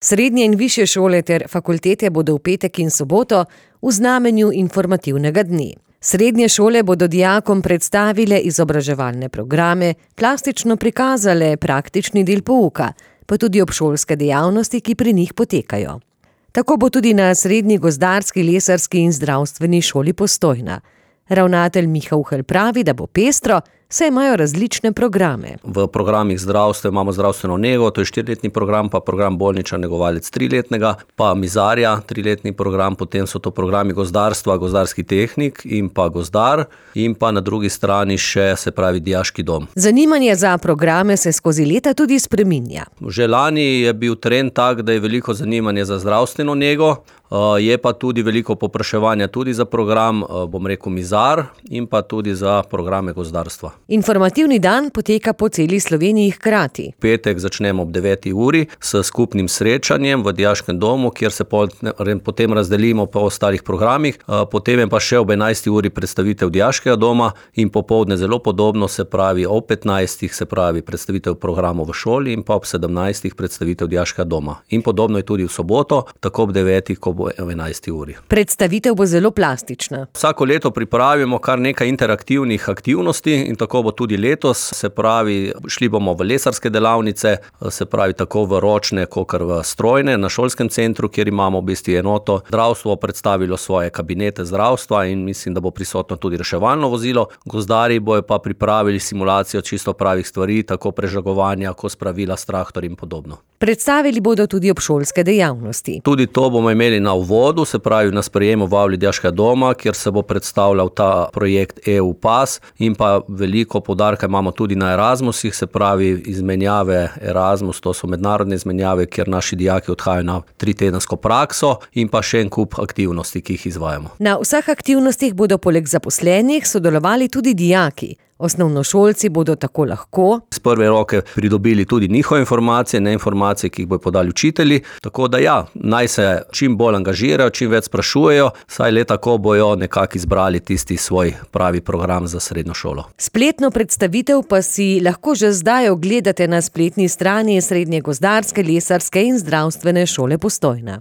Srednje in višje šole ter fakultete bodo v petek in soboto v znamenju informativnega dne. Srednje šole bodo dijakom predstavile izobraževalne programe, plastično prikazale praktični del pouka, pa tudi obšolske dejavnosti, ki pri njih potekajo. Tako bo tudi na Srednji gozdarski, lesarski in zdravstveni šoli Postojna. Ravnatelj Miha Uhelj pravi, da bo pestro, saj imajo različne programe. V programih zdravstva imamo zdravstveno nego, to je 4-letni program, pa program bolničar negovalec 3-letnega, pa mizarja 3-letni program, potem so to programi gozdarstva, gozdarski tehnik in pa gozdar in pa na drugi strani še, se pravi, dijaški dom. Zanimanje za programe se skozi leta tudi spreminja. Že lani je bil trend tak, da je veliko zanimanje za zdravstveno nego, je pa tudi veliko povpraševanja tudi za program, bom rekel, mizar in pa tudi za programe gozdarstva. Informativni dan poteka po celi Sloveniji hkrati. V petek začnemo ob 9. uri s skupnim srečanjem v dijaškem domu, kjer se potem razdelimo po ostalih programih, potem je pa še ob 11. uri predstavitev dijaškega doma in popoldne zelo podobno, se pravi ob 15. se pravi predstavitev programov v šoli in pa ob 17. predstavitev dijaškega doma. In podobno je tudi v soboto, tako ob 9. ko bo 11. uri. Predstavitev bo zelo plastična. Vsako leto pripravimo kar nekaj interaktivnih aktivnosti in tako bo tudi letos, se pravi, šli bomo v lesarske delavnice, se pravi tako v ročne, kakor v strojne, na šolskem centru, kjer imamo v bistvu enoto. Zdravstvo predstavilo svoje kabinete zdravstva in mislim, da bo prisotno tudi reševalno vozilo. Gozdarji bojo pa pripravili simulacijo čisto pravih stvari, tako prežagovanja, kot spravila s traktorjem in podobno. Predstavili bodo tudi obšolske dejavnosti. Tudi to bomo imeli na uvodu, se pravi na sprejemu v avli dijaškega doma, kjer se bo predstavljal ta projekt EU Pas in pa veliko poudarka imamo tudi na Erasmusih, se pravi izmenjave Erasmus, to so mednarodne izmenjave, kjer naši dijaki odhajajo na 3-tedensko prakso in pa še en kup aktivnosti, ki jih izvajamo. Na vseh aktivnostih bodo poleg zaposlenih sodelovali tudi dijaki. Osnovnošolci bodo tako lahko z prve roke pridobili tudi njihove informacije, ne informacije, ki jih bodo podali učitelji. Tako da ja, naj se čim bolj angažirajo, čim več sprašujejo, saj le tako bojo nekako izbrali tisti svoj pravi program za srednjo šolo. Spletno predstavitev pa si lahko že zdaj ogledate na spletni strani Srednje gozdarske, lesarske in zdravstvene šole Postojna.